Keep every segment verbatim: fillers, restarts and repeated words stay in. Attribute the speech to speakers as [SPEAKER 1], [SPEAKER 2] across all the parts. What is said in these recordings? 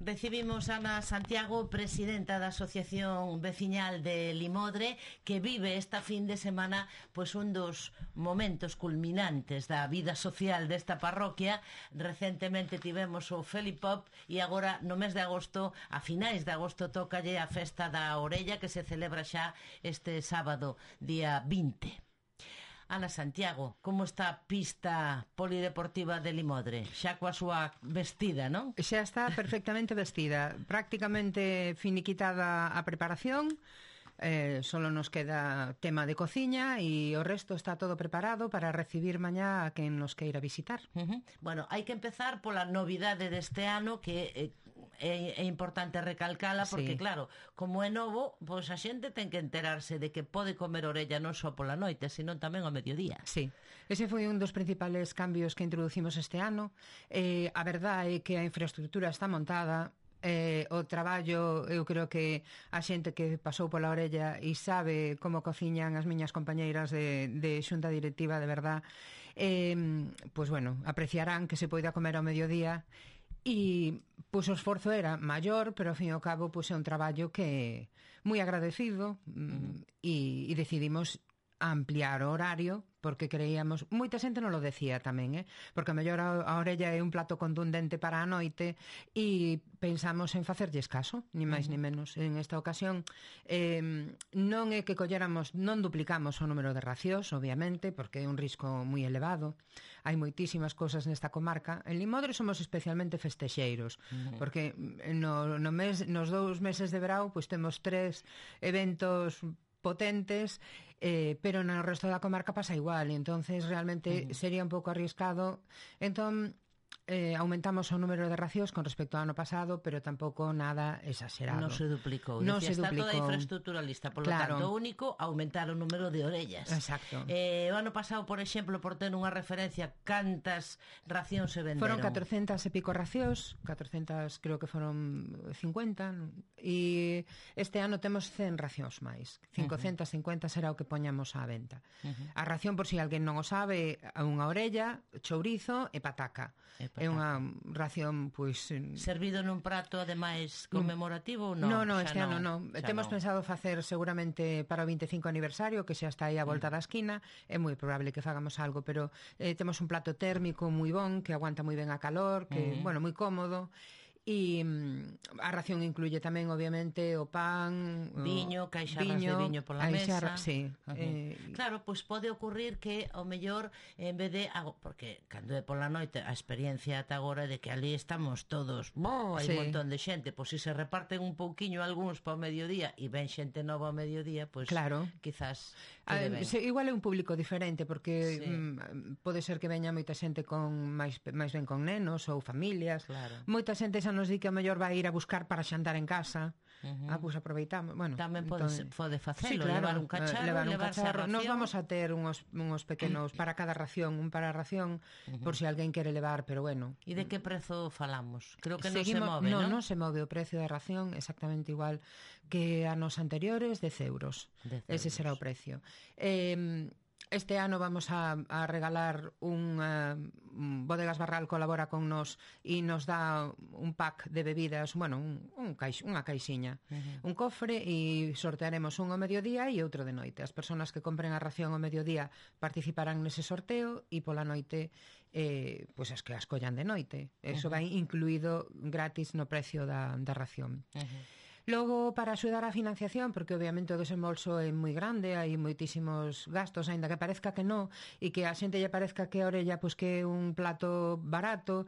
[SPEAKER 1] Recibimos a Ana Santiago, presidenta da Asociación Veciñal de Limodre, que vive esta fin de semana pois un dos momentos culminantes da vida social desta parroquia. Recentemente tivemos o Felipop e agora no mes de agosto, a finais de agosto, tócalle a Festa da Orella, que se celebra xa este sábado, día vinte. Ana Santiago, como está a pista polideportiva de Limodre? Xa coa súa vestida, non?
[SPEAKER 2] Xa está perfectamente vestida, prácticamente finiquitada a preparación. Eh, solo nos queda tema de cociña e o resto está todo preparado para recibir mañá a quen nos queira visitar.
[SPEAKER 1] Uh-huh. Bueno, hai que empezar pola novidade deste ano, que é, é, é importante recalcala, porque sí, claro, como é novo, pois a xente ten que enterarse de que pode comer orella non só pola noite, sino tamén ao mediodía.
[SPEAKER 2] Sí, ese foi un dos principales cambios que introducimos este ano. Eh, a verdade é que a infraestructura está montada. Eh, o traballo, eu creo que a xente que pasou pola orella e sabe como cociñan as miñas compañeiras de, de xunta directiva, de verdad, eh, pois bueno, apreciarán que se poida comer ao mediodía. E pois o esforzo era maior, pero ao fin e ao cabo pois é un traballo que moi agradecido. uh-huh. e, e decidimos ampliar o horario porque creíamos, moita xente non lo decía tamén, eh? Porque a mellor a, a orella é un plato contundente para a noite e pensamos en facerlles caso, ni máis uh-huh. ni menos. En esta ocasión eh, non é que colléramos, non duplicamos o número de racións, obviamente, porque é un risco moi elevado. Hai moitísimas cousas nesta comarca. En Limodre somos especialmente festexeiros, uh-huh. porque no, no mes, nos dous meses de verao pois temos tres eventos potentes, eh, pero no resto da comarca pasa igual, e entonces realmente uh-huh. sería un pouco arriscado. Entón eh, aumentamos o número de racións con respecto ao ano pasado, pero tampouco nada exagerado.
[SPEAKER 1] Non se duplicou.
[SPEAKER 2] Non
[SPEAKER 1] Decía,
[SPEAKER 2] se
[SPEAKER 1] está
[SPEAKER 2] duplicou.
[SPEAKER 1] Toda a infraestructura lista, por lo
[SPEAKER 2] claro.
[SPEAKER 1] tanto, o único, aumentar o número de orellas.
[SPEAKER 2] Exacto.
[SPEAKER 1] Eh, o ano pasado, por exemplo, por ter unha referencia, cantas racións se venderon?
[SPEAKER 2] Foron catrocentas e pico racións, catrocentas creo que foron cincuenta, e este ano temos cen racións máis. cincocentas cincuenta será o que poñamos á venta. Uh-huh. A ración, por si alguén non o sabe, a unha orella, chourizo e pataca. E é unha ración, pois...
[SPEAKER 1] Servido nun prato, ademais, conmemorativo ou non?
[SPEAKER 2] Non, non, este ano non. Temos no. pensado facer seguramente para o veinticinco aniversario, que xa está aí a volta mm. da esquina. É moi probable que fagamos algo, pero eh, temos un plato térmico moi bon, que aguanta moi ben a calor, que, mm. bueno, moi cómodo. E mm, a ración incluye tamén, obviamente, o pan,
[SPEAKER 1] viño, caixarras de viño pola mesa.
[SPEAKER 2] Sí.
[SPEAKER 1] Uh-huh. Eh, claro, pois pues pode ocurrir que ao mellor en vez de, porque cando é pola noite a experiencia ata agora de que ali estamos todos, bo, hai sí. un montón de xente, pois pues, se se reparten un pouquiño algúns para o mediodía e ven xente nova ao mediodía, pois pues,
[SPEAKER 2] claro.
[SPEAKER 1] quizás
[SPEAKER 2] ah, se, igual é un público diferente, porque sí. mm, pode ser que veña moita xente con máis máis ben con nenos ou familias.
[SPEAKER 1] Claro.
[SPEAKER 2] Moita xente xa nos di que a mellor vai ir a buscar para xantar en casa. Uh-huh. Ah, pois aproveitamos. Bueno,
[SPEAKER 1] tamén pode, entón, pode facelo, sí,
[SPEAKER 2] claro,
[SPEAKER 1] levar un cacharro,
[SPEAKER 2] levar un
[SPEAKER 1] levarse
[SPEAKER 2] cacharro.
[SPEAKER 1] a ración.
[SPEAKER 2] Nos vamos a ter unos, unos pequenos para cada ración, un para ración, uh-huh. por si alguén quere levar, pero bueno.
[SPEAKER 1] E de que prezo falamos? Creo que
[SPEAKER 2] Seguimos,
[SPEAKER 1] non se move,
[SPEAKER 2] non?
[SPEAKER 1] Non,
[SPEAKER 2] non se move o precio da ración exactamente igual que anos anteriores, dez euros. dez Ese euros. Será o precio. Eh... Este ano vamos a, a regalar un, uh, Bodegas Barral colabora con nos e nos dá un pack de bebidas, bueno, un, un caix, unha caixiña, uh-huh. un cofre, e sortearemos un ao mediodía e outro de noite. As persoas que compren a ración ao mediodía participarán nese sorteo e pola noite eh, pois as que as collan de noite. Eso uh-huh. vai incluído gratis no precio da, da ración. Uh-huh. Logo, para axudar a financiación, porque obviamente o desembolso é moi grande, hai moitísimos gastos, aínda que parezca que non, e que a xente lle parezca que a orella pois que é un plato barato,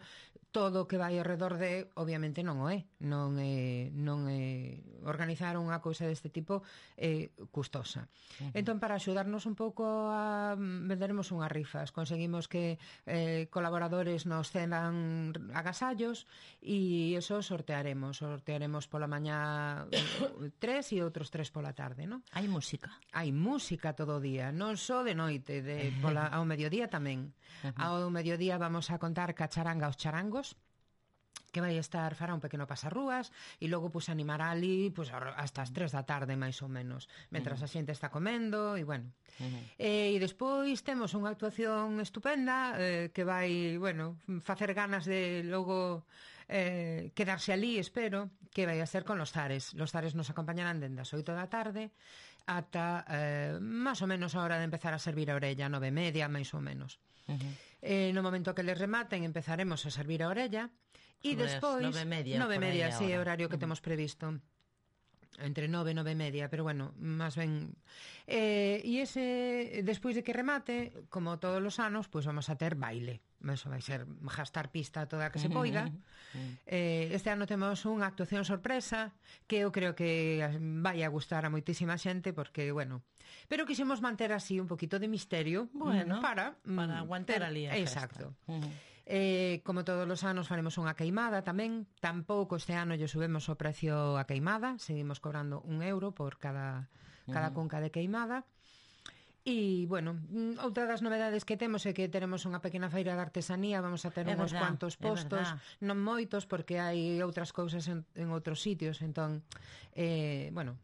[SPEAKER 2] todo o que vai ao redor de, obviamente non o é. Non é, non é organizar unha cousa deste tipo é custosa. Uh-huh. Entón, para axudarnos un pouco a venderemos unhas rifas, conseguimos que eh, colaboradores nos cedan agasallos e eso sortearemos, sortearemos pola mañá tres e outros tres pola tarde, non?
[SPEAKER 1] Hai música.
[SPEAKER 2] Hai música todo o día, non só de noite, de pola ao mediodía tamén. Uh-huh. Ao mediodía vamos a contar Cacharanga aos charangos, que vai estar fará un pequeno pasarrúas e logo pues animará ali pues hasta as tres da tarde máis ou menos, mentras uh-huh. a xente está comendo e bueno. Uh-huh. E, e despois temos unha actuación estupenda eh, que vai, bueno, facer ganas de logo eh, quedarse ali, espero, que vai a ser con los zares. Los zares nos acompañarán dende as oito da tarde ata eh, máis ou menos a hora de empezar a servir a orella, nove e media, máis ou menos. Uh-huh. Eh, no momento que les rematen empezaremos a servir a orella e despois
[SPEAKER 1] nove e media,
[SPEAKER 2] nove e media, sí, é o horario que
[SPEAKER 1] uh-huh.
[SPEAKER 2] temos previsto. Entre nove e nove e media, pero bueno, máis ben eh, e ese, despois de que remate, como todos os anos, pois pues vamos a ter baile. Eso vai ser gastar pista toda a que se poida. eh, Este ano temos unha actuación sorpresa que eu creo que vai a gustar a moitísima xente, porque, bueno, pero quixemos manter así un poquito de misterio,
[SPEAKER 1] bueno,
[SPEAKER 2] para,
[SPEAKER 1] para aguantar ali a festa.
[SPEAKER 2] Exacto. Uh-huh. Eh, como todos os anos faremos unha queimada tamén. Tampouco este ano lle subemos o precio a queimada, seguimos cobrando un euro por cada, cada uh-huh. cunca de queimada. E, bueno, outra das novedades que temos é que teremos unha pequena feira de artesanía. Vamos a ter é uns verdad, cuantos postos, non moitos, porque hai outras cousas en, en outros sitios. Entón, eh, bueno,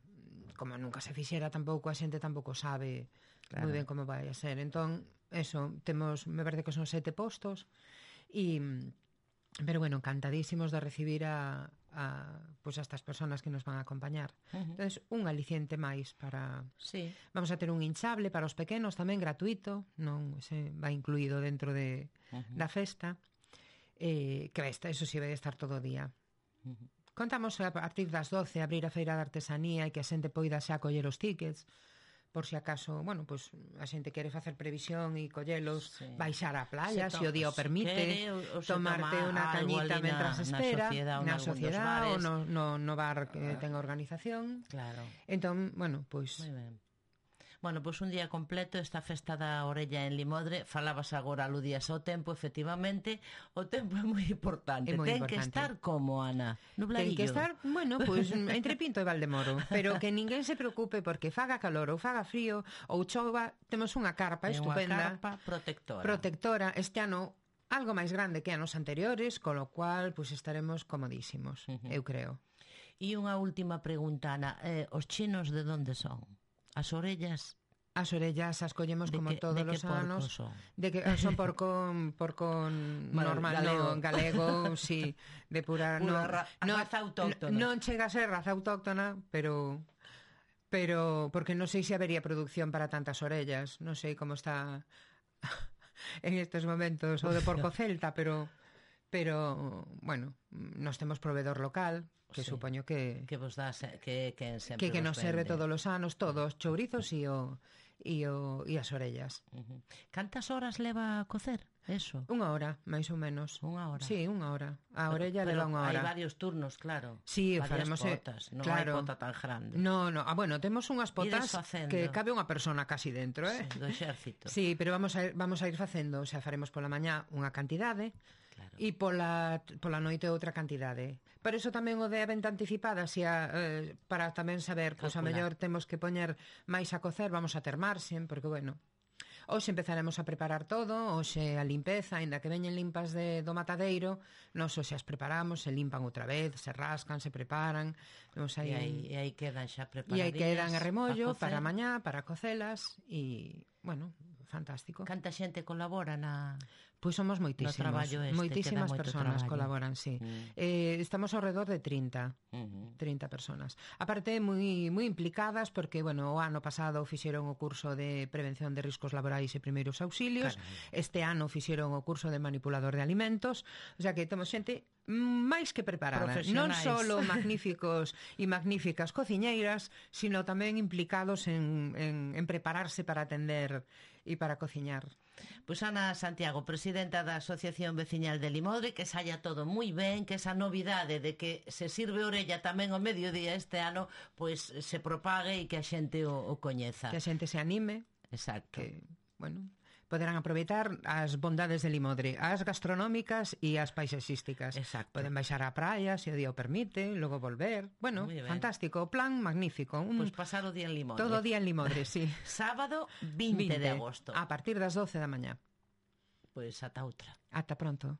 [SPEAKER 2] como nunca se fixera, tampouco a xente tampouco sabe claro. moi ben como vai a ser. Entón, eso, temos, me parece que son sete postos. Y, pero bueno, encantadísimos de recibir a, a, pues a estas personas que nos van a acompañar. Uh-huh. Entonces, un aliciente máis para...
[SPEAKER 1] Sí.
[SPEAKER 2] Vamos a ter un hinchable para os pequenos tamén, gratuito, non se va incluído dentro de, uh-huh. da festa, eh, que esta, eso sí, vai estar todo o día. Uh-huh. Contamos a partir das doce abrir a feira de artesanía e que a xente poida xa coller os tickets, por si acaso, bueno, pues a xente quere facer previsión e collelos, sí. baixar á playa, se, se o día o permite, quere, o, o tomarte unha cañita mentras espera, na sociedade ou no, no, no bar que ten organización.
[SPEAKER 1] Claro.
[SPEAKER 2] Entón, bueno, pois... Pues,
[SPEAKER 1] bueno, pois pues un día completo esta festa da orella en Limodre. Falabas agora, aludías ao tempo, efectivamente, o tempo é moi importante.
[SPEAKER 2] É moi
[SPEAKER 1] ten
[SPEAKER 2] importante.
[SPEAKER 1] que estar como, Ana? Nubladillo.
[SPEAKER 2] Ten que estar, bueno, pois pues, entre Pinto e Valdemoro, pero que ninguén se preocupe porque faga calor ou faga frío ou chova, temos unha carpa
[SPEAKER 1] é
[SPEAKER 2] estupenda.
[SPEAKER 1] Unha carpa protectora.
[SPEAKER 2] Protectora, este ano algo máis grande que anos anteriores, con lo cual, pois pues, estaremos comodísimos, uh-huh. eu creo.
[SPEAKER 1] E unha última pregunta, Ana, eh, os chinos de onde son? As orellas...
[SPEAKER 2] As orellas as collemos como
[SPEAKER 1] que,
[SPEAKER 2] todos os anos.
[SPEAKER 1] Son?
[SPEAKER 2] De que son porco porco bueno, normal, galego, no, galego sí, de pura,
[SPEAKER 1] pura
[SPEAKER 2] no,
[SPEAKER 1] ra,
[SPEAKER 2] no,
[SPEAKER 1] raza autóctona.
[SPEAKER 2] Non chega a ser raza autóctona, pero pero porque non sei se habería producción para tantas orellas, non sei como está en estes momentos o de porco celta, pero pero bueno, nos temos proveedor local, que sí. supoño que
[SPEAKER 1] que vos dá que que sempre
[SPEAKER 2] que, que nos serve todos os anos, todos chourizos e o e o e as orellas.
[SPEAKER 1] Uh-huh. Cantas horas leva a cocer eso?
[SPEAKER 2] Unha hora, máis ou menos.
[SPEAKER 1] Unha hora.
[SPEAKER 2] Sí, unha hora. A
[SPEAKER 1] pero,
[SPEAKER 2] orella
[SPEAKER 1] pero
[SPEAKER 2] leva unha hora.
[SPEAKER 1] Hai varios turnos, claro.
[SPEAKER 2] Sí,
[SPEAKER 1] varias
[SPEAKER 2] faremos
[SPEAKER 1] potas, non
[SPEAKER 2] claro.
[SPEAKER 1] hai pota tan grande.
[SPEAKER 2] No, no, ah, bueno, temos unhas potas que cabe unha persona casi dentro, eh?
[SPEAKER 1] Sí, do exército.
[SPEAKER 2] Sí, pero vamos a ir, vamos a ir facendo, o sea, faremos pola mañá unha cantidade. Claro. E pola, pola noite outra cantidade. Por iso tamén o de a venta anticipada, si a, eh, para tamén saber, pois pues, a mellor temos que poñer máis a cocer, vamos a ter marxen, porque, bueno, hoxe empezaremos a preparar todo, hoxe a limpeza, ainda que veñen limpas de, do matadeiro, nos hoxe as preparamos, se limpan outra vez, se rascan, se preparan.
[SPEAKER 1] Aí, e, aí, e aí quedan xa preparadillas.
[SPEAKER 2] E aí quedan a remollo para mañá, para cocelas, e, bueno, fantástico.
[SPEAKER 1] Canta xente colabora na...
[SPEAKER 2] Pois somos moitísimos, este, moitísimas persoas traballo. Colaboran, sí. Mm. Eh, estamos ao redor de trinta, uh-huh. trinta personas. Aparte, moi moi implicadas, porque, bueno, o ano pasado fixeron o curso de prevención de riscos laborais e primeiros auxilios, Caray. Este ano fixeron o curso de manipulador de alimentos, o sea que temos xente máis que preparada, non só magníficos e magníficas cociñeiras, sino tamén implicados en, en, en prepararse para atender e para cociñar.
[SPEAKER 1] Pois Ana Santiago, presidenta da Asociación Veciñal de Limodre, que saia todo moi ben, que esa novidade de que se sirve orella tamén ao mediodía este ano, pois se propague e que a xente o, o coñeza.
[SPEAKER 2] Que a xente se anime.
[SPEAKER 1] Exacto.
[SPEAKER 2] Que, bueno, poderán aproveitar as bondades de Limodre, as gastronómicas e as paisaxísticas.
[SPEAKER 1] Exacto.
[SPEAKER 2] Poden baixar á praia, se o día o permite, logo volver. Bueno, fantástico, o plan magnífico.
[SPEAKER 1] Un... Pois pasar o día en Limodre.
[SPEAKER 2] Todo o día en Limodre, sí.
[SPEAKER 1] Sábado vinte de agosto.
[SPEAKER 2] A partir das doce da mañá.
[SPEAKER 1] Pois ata outra.
[SPEAKER 2] Ata pronto.